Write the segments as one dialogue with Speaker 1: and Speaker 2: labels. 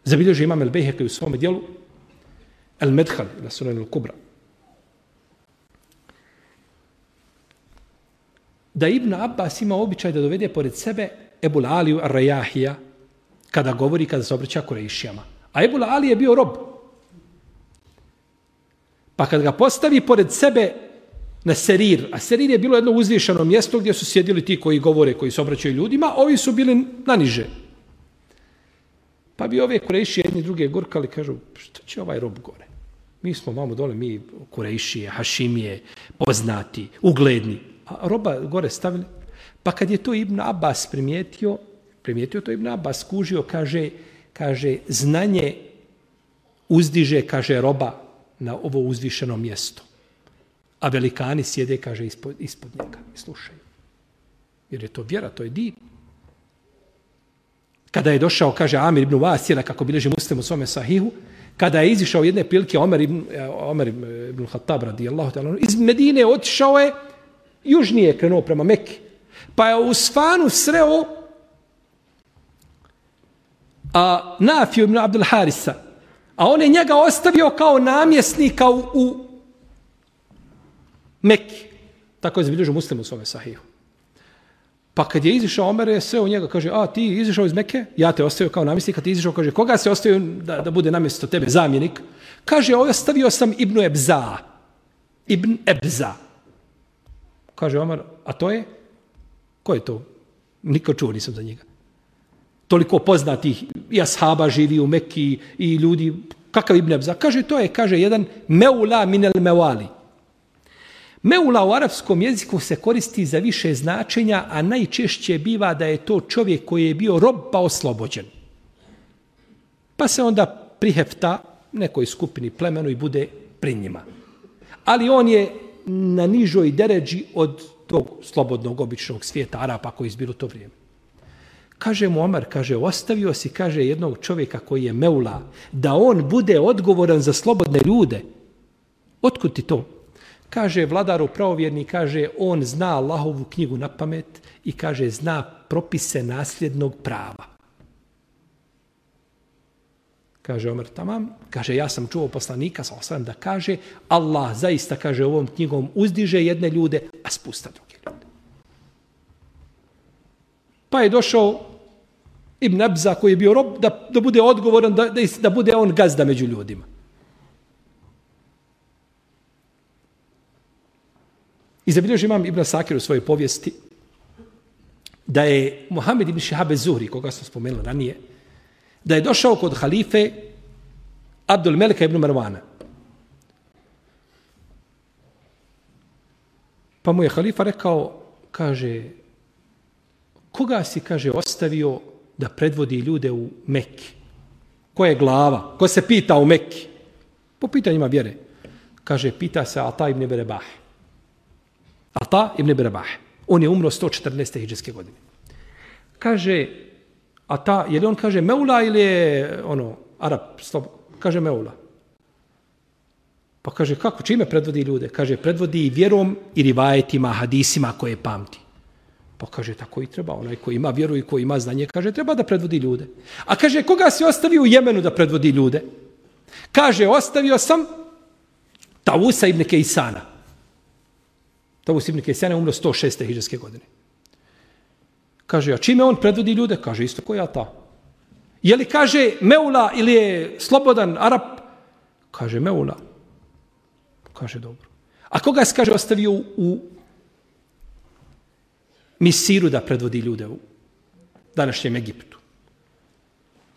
Speaker 1: Zabilježi imam el-Bejheki u svome dijelu El-Medhal, ila Sunan el-Kubra. Da Ibn Abbas ima običaj da dovede pored sebe Ebul Aliju ar-Rajahija kada se obraća Kurejšijama. A Ebul Ali je bio rob. Pa kad ga postavi pored sebe na serir, a serir je bilo jedno uzvišeno mjesto gdje su sjedili ti koji govore, koji se obraćaju ljudima, ovi su bili naniže. Pa bi ove Kurejšije jedni druge gurkali, kažu, što će ovaj rob gore? Mi smo vamo dole, mi Kurejšije, Hašimije, poznati, ugledni. A roba gore stavili. Pa kad je to Ibn Abbas primijetio to Ibn Abbas, skužio, kaže, znanje uzdiže, kaže, roba na ovo uzvišeno mjesto. A velikani sjede, kaže, ispod njega i slušaju. Jer je to vjera, to je din. Kada je došao, kaže, Amir ibn Vasila, kako bilježi Muslim u svome sahihu, kada je izišao jedne prilike Omer ibn Khattab radijallahu ta'ala, iz Medine otišao je, južnije krenuo prema Mekke. Pa je u Sfanu sreo Nafiju ibn Abdul Harisa, a on je njega ostavio kao namjesnika u Mekki. Tako je zabilježio Muslim u svome sahihu. Pa kad je izišao Omer, je sreo njega, kaže, a ti izišao iz Mekke, ja te ostavio kao namjesnika, ti izišao, kaže, koga se ostavio da bude namjesto tebe, zamjenik? Kaže, ostavio sam Ibn Ebza. Kaže Omer, a to je? Ko je to? Nikad čuo nisam za njega. Toliko poznatih i ashaba živi u Mekki i ljudi, kakav Ibn Ebza? Kaže, to je, kaže, jedan meula minel mevali. Meula u arapskom jeziku se koristi za više značenja, a najčešće biva da je to čovjek koji je bio rob pa oslobođen. Pa se onda prihefta nekoj skupini, plemenu i bude pri njima. Ali on je na nižoj deređi od tog slobodnog običnog svijeta Arapa koji izbiru to vrijeme. Kaže mu Omar, kaže, ostavio si, kaže, jednog čovjeka koji je meula, da on bude odgovoran za slobodne ljude. Otkud ti to? Kaže, vladaru pravovjerni, kaže, on zna Allahovu knjigu na pamet i kaže, zna propise nasljednog prava. Kaže Omer, tamam, kaže, ja sam čuo poslanika, sallallahu da kaže, Allah zaista, kaže, ovom knjigom uzdiže jedne ljude, a spusta druge ljude. Pa je došao Ibn Ebza koji je bio rob da bude odgovoran, da bude on gazda među ljudima. I zabilježi imam Ibn Sakir u svojoj povijesti da je Muhammed ibn Šihab Zuhri, koga sam spomenuo ranije, da je došao kod halife Abdul Melika ibn Marwana. Pa mu je halifa rekao, kaže, koga si, kaže, ostavio da predvodi ljude u Mekki? Ko je glava? Ko se pita u Mekki? Po pitanjima vjere. Kaže, pita se Ata ibn Berebah. Ata ibn Berebah. On je umro 114. hidžrske godine. Kaže, Ata, je li on, kaže, meula ili je, Arab? Kaže, meula. Pa kaže, kako, čime predvodi ljude? Kaže, predvodi vjerom i rivajetima, hadisima koje pamti. Pa kaže, tako i treba. Onaj koji ima vjeru i koji ima znanje, kaže, treba da predvodi ljude. A kaže, koga si ostavio u Jemenu da predvodi ljude? Kaže, ostavio sam Tavusa ibn Kejsana. Tavus ibn Kejsana je umro 106. hidžrske godine. Kaže, a čime on predvodi ljude? Kaže, isto koja ta. Je li, kaže, meula ili je slobodan Arap? Kaže, meula. Kaže, dobro. A koga si, kaže, ostavio u Misiru da predvodi ljude u današnjem Egiptu?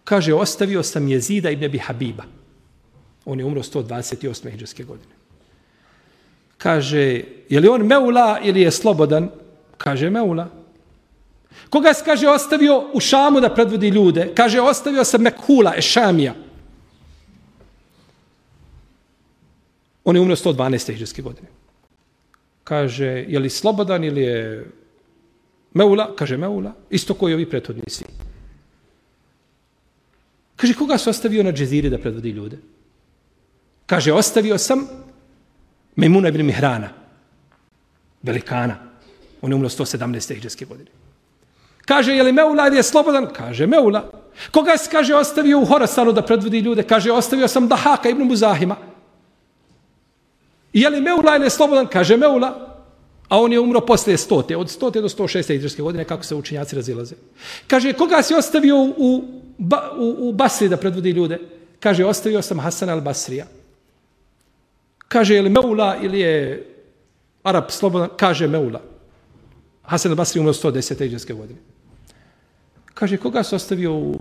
Speaker 1: Kaže, ostavio sam Jezida ibn Abi Habiba. On je umro 128. hidžrske godine. Kaže, je li on meula ili je slobodan? Kaže, meula. Koga se, kaže, ostavio u Šamu da predvodi ljude? Kaže, ostavio sam Mekhula, Ešamija. On je umro 112. hidžrske godine. Kaže, je li slobodan ili je meula? Kaže, meula. Isto koji ovi prethodnici. Kaže, koga se ostavio na Džeziri da predvodi ljude? Kaže, ostavio sam Mejmuna ibn Mihrana, velikana. On je umro 117. hidžrske godine. Kaže, je li meula ili je slobodan? Kaže, meula. Koga si, kaže, ostavio u Horasanu da predvodi ljude? Kaže, ostavio sam Dahaka ibn Muzahima. Je li Meula ili je slobodan? Kaže, Meula. A on je umro posle 100. Od 100. do 106. hidrijske godine, kako se učenjaci razilaze. Kaže, koga si ostavio u Basri da predvodi ljude? Kaže, ostavio sam Hasan al-Basrija. Kaže, je li Meula ili je Arab slobodan? Kaže, Meula. Hasan al-Basri umro 110. hidrijske godine. Kaže, koga si ostavio u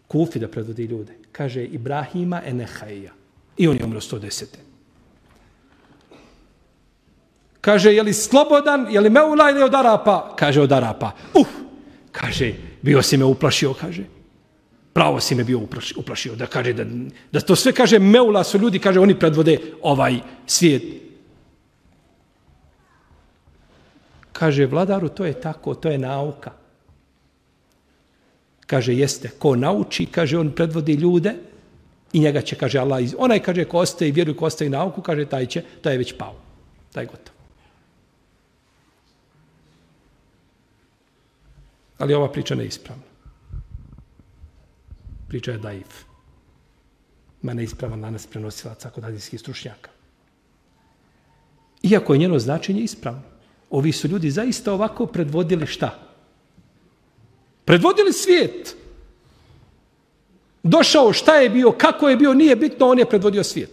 Speaker 1: Kufi da predvodi ljude? Kaže, Ibrahima Enehaija. I on je umro 110. Kaže, je li slobodan, je li Meula ili od Arapa? Kaže, od Arapa. Kaže, bio si me uplašio, kaže. Pravo si me bio uplašio. Da kaže, da to sve, kaže, Meula su ljudi, kaže, oni predvode ovaj svijet. Kaže, vladaru, to je tako, to je nauka. Kaže, jeste, ko nauči, kaže, on predvodi ljude i njega će, kaže, Allah, onaj, kaže, ko ostaje vjeru, ko ostaje nauku, kaže, taj je već pao. Taj je gotov. Ali ova priča ne je ispravna. Priča je daif. Ma neispravan lanas prenosilaca kod hadijskih stručnjaka. Iako je njeno značenje ispravno. Ovi su ljudi zaista ovako predvodili šta? Predvodili svijet. Došao šta je bio, kako je bio, nije bitno, on je predvodio svijet.